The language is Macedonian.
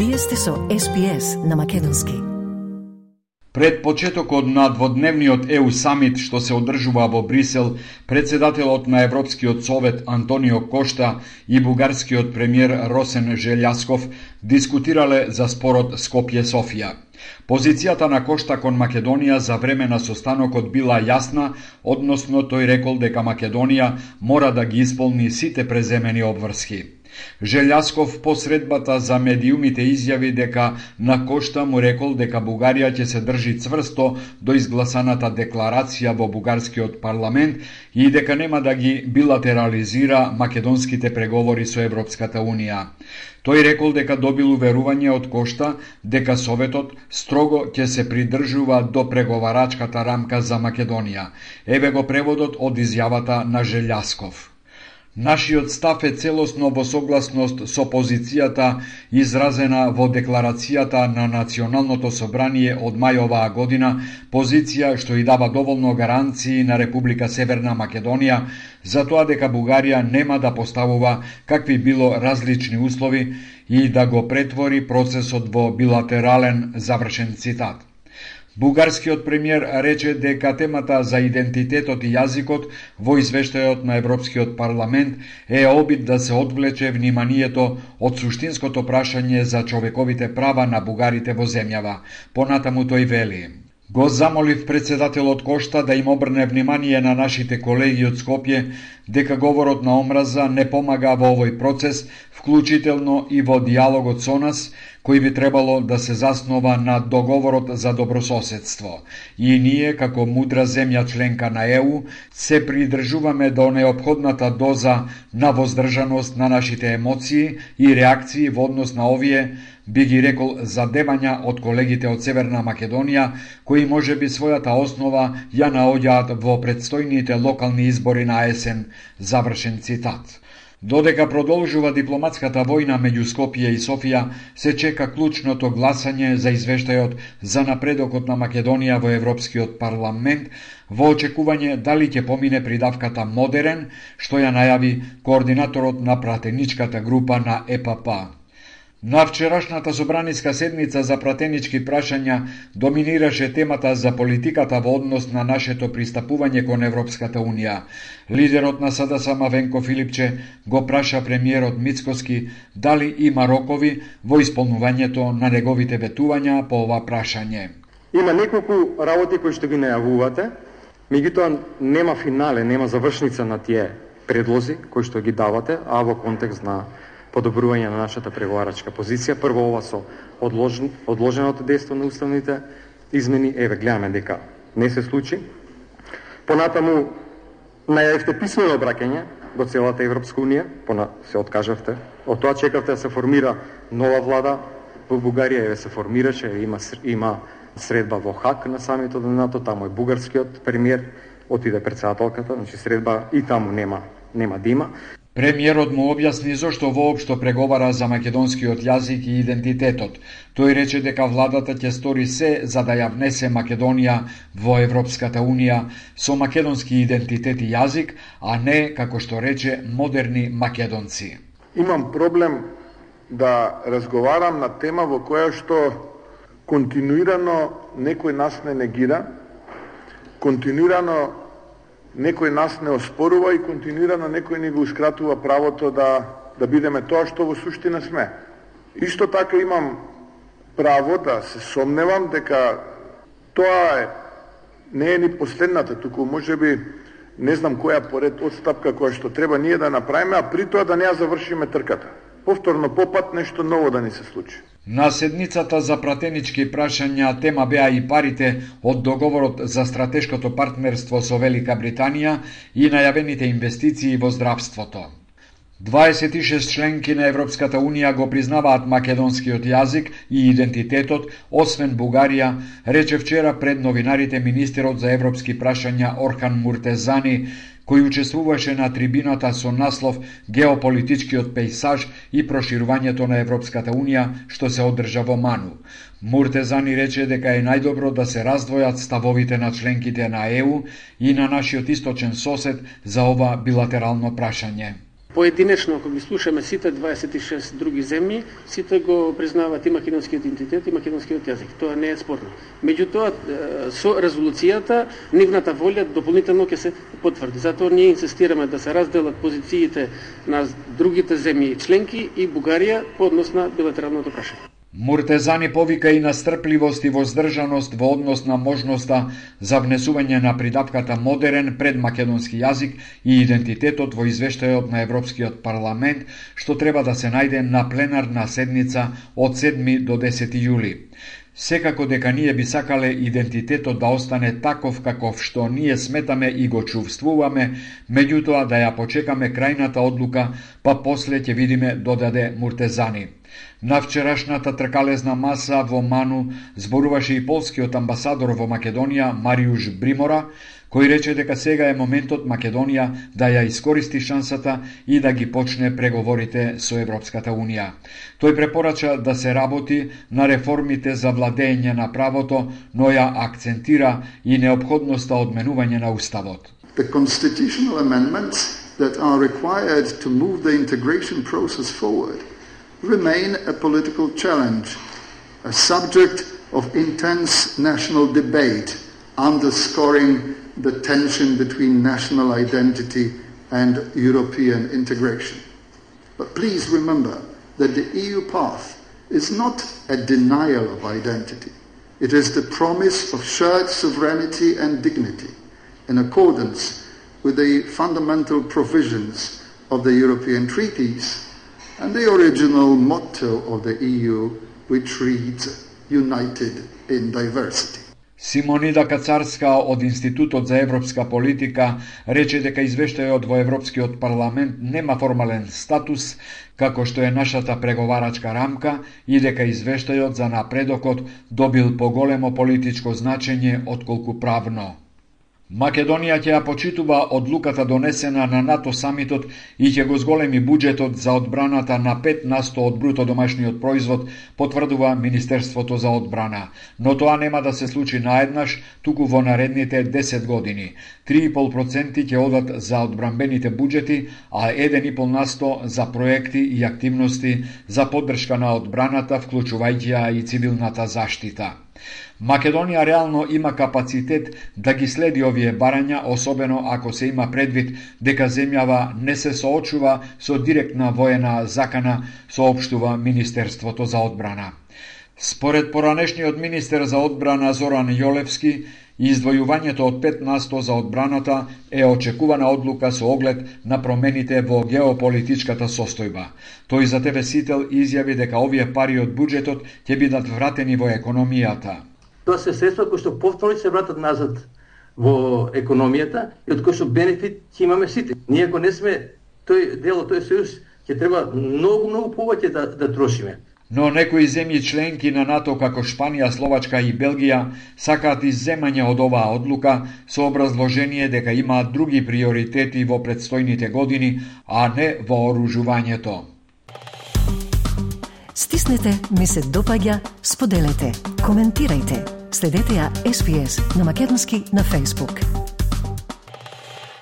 Вие сте со SPS на македонски. Пред почетокот на дводневниот EU самит што се одржува во Брисел, председателот на Европскиот совет Антонио Кошта и бугарскиот премиер Росен Желјасков дискутирале за спорот Скопје-Софија. Позицијата на Кошта кон Македонија за време на состанокот била јасна, односно тој рекол дека Македонија мора да ги исполни сите преземени обврски. Желјасков по средбата за медиумите изјави дека на Кошта му рекол дека Бугарија ќе се држи цврсто до изгласаната декларација во бугарскиот парламент и дека нема да ги билатерализира македонските преговори со Европската Унија. Тој рекол дека добил уверување од Кошта дека Советот строго ќе се придржува до преговарачката рамка за Македонија. Еве го преводот од изјавата на Желјасков. Нашиот став е целосно во согласност со позицијата изразена во декларацијата на Националното собрание од мај оваа година, позиција што и дава доволно гаранции на Република Северна Македонија за тоа дека Бугарија нема да поставува какви било различни услови и да го претвори процесот во билатерален, завршен цитат. Бугарскиот премиер рече дека темата за идентитетот и јазикот во извештајот на Европскиот парламент е обид да се одвлече вниманието од суштинското прашање за човековите права на бугарите во земјава. Понатаму тој вели: го замолив председателот Кошта да им обрне внимание на нашите колеги од Скопје дека говорот на омраза не помага во овој процес, вклучително и во диалогот со нас, кој би требало да се заснова на договорот за добрососедство. И ние, како мудра земја членка на ЕУ, се придржуваме до неопходната доза на воздржаност на нашите емоции и реакции во однос на овие, би ги рекол, задевања од колегите од Северна Македонија, кои може би својата основа ја наоѓаат во предстојните локални избори на есен, завршен цитат. Додека продолжува дипломатската војна меѓу Скопје и Софија, се чека клучното гласање за извештајот за напредокот на Македонија во Европскиот парламент, во очекување дали ќе помине придавката модерен, што ја најави координаторот на пратеничката група на ЕПП. На вчерашната собраниска седница за пратенички прашања доминираше темата за политиката во однос на нашето пристапување кон Европската Унија. Лидерот на СДСМ Венко Филипче го праша премиерот Мицкоски дали има рокови во исполнувањето на неговите ветувања по ова прашање. Има неколку работи кои што ги најавувате, меѓутоа нема финале, нема завршница на тие предлози кои што ги давате, а во контекст на подобрување на нашата преговарачка позиција. Прво ова со одложеното дејство на уставните измени, еве гледаме дека не се случи. Понатаму најавивте писмено обраќање до целата Европска Унија, се откажавте. Од тоа чекавте да се формира нова влада во Бугарија, еве се формираше, има средба во Хаг на самитот на НАТО, таму е бугарскиот премиер, отиде председателката, значи средба и таму нема да има. Премиерот му објасни зошто воопшто преговара за македонскиот јазик и идентитетот. Тој рече дека владата ќе стори се за да ја внесе Македонија во Европската Унија со македонски идентитет и јазик, а не, како што рече, модерни македонци. Имам проблем да разговарам на тема во која што континуирано некој нас не негира, континуирано некој нас не оспорува и континуирано некој ни гоускратува правото да бидеме тоа што во суштина сме. Исто така имам право да се сомневам дека тоа не е ни последната, туку можеби не знам која поред одстапка која што треба ние да направиме, а при тоа да не ја завршиме трката. Повторно попат нешто ново да ни се случи. На седницата за пратенички прашања тема беа и парите од договорот за стратешкото партнерство со Велика Британија и најавените инвестиции во здравството. 26 членки на Европската Унија го признаваат македонскиот јазик и идентитетот, освен Бугарија, рече вчера пред новинарите министерот за европски прашања Орхан Муртезани, кој учествуваше на трибината со наслов «Геополитичкиот пејсаж и проширувањето на Европската Унија», што се одржа во Ману. Муртезани рече дека е најдобро да се раздвојат ставовите на членките на ЕУ и на нашиот источен сосед за ова билатерално прашање. Поединечно, ако ги слушаме сите 26 други земји, сите го признаваат и македонскиот идентитет и македонскиот јазик. Тоа не е спорно. Меѓутоа, со резолуцијата, нивната волја дополнително ќе се потврди. Затоа ние инсистираме да се разделат позициите на другите земји членки и Бугарија по однос на билатералното прашање. Муртезани повика и на стрпливост и воздржаност во однос на можноста за внесување на придавката модерен предмакедонски јазик и идентитетот во извештајот на Европскиот парламент, што треба да се најде на пленарна седница од 7 до 10 јули. Секако дека ние би сакале идентитетот да остане таков каков што ние сметаме и го чувствуваме, меѓутоа да ја почекаме крајната одлука, па после ќе видиме, додаде Муртезани. На вчерашната тркалезна маса во Ману зборуваше и полскиот амбасадор во Македонија Мариуш Бримора, кој рече дека сега е моментот Македонија да ја искористи шансата и да ги почне преговорите со Европската Унија. Тој препорача да се работи на реформите за владење на правото, но ја акцентира и неопходноста од менување на уставот. The constitutional amendments that are required to move the integration process forward remain a political challenge, a subject of intense national debate, underscoring the tension between national identity and European integration. But please remember that the EU path is not a denial of identity. It is the promise of shared sovereignty and dignity in accordance with the fundamental provisions of the European treaties and the original motto of the EU, which reads, United in Diversity. Симонида Кацарска од Институтот за европска политика рече дека извештајот во Европскиот парламент нема формален статус, како што е нашата преговарачка рамка, и дека извештајот за напредокот добил поголемо политичко значење отколку правно. Македонија ќе ја почитува одлуката донесена на НАТО самитот и ќе го зголеми буџетот за одбраната на 5% од бруто домашниот производ, потврдува Министерството за одбрана. Но тоа нема да се случи наеднаш, туку во наредните 10 години. 3,5% ќе одат за одбранбените буџети, а 1,5% за проекти и активности за поддршка на одбраната, вклучувајќи ја и цивилната заштита. Македонија реално има капацитет да ги следи овие барања, особено ако се има предвид дека земјава не се соочува со директна воена закана, соопштува Министерството за одбрана. Според поранешниот министер за одбрана Зоран Јолевски, издвојувањето од 5% за одбраната е очекувана одлука со оглед на промените во геополитичката состојба. Тој за ТВ Сител изјави дека овие пари од буџетот ќе бидат вратени во економијата. Тоа се средства кои што повторно се вратат назад во економијата и од кои што бенефит ќе имаме сите. Ние ако не сме тој дел од тој сојуз, ќе треба многу повеќе да трошиме. Но некои земји членки на НАТО како Шпанија, Словачка и Белгија сакаат изземање од оваа одлука со образложение дека имаат други приоритети во предстојните години, а не вооружувањето. Стиснете, ми се допаѓа, споделете, коментирајте. Следете ја SPS на Македонски на Facebook.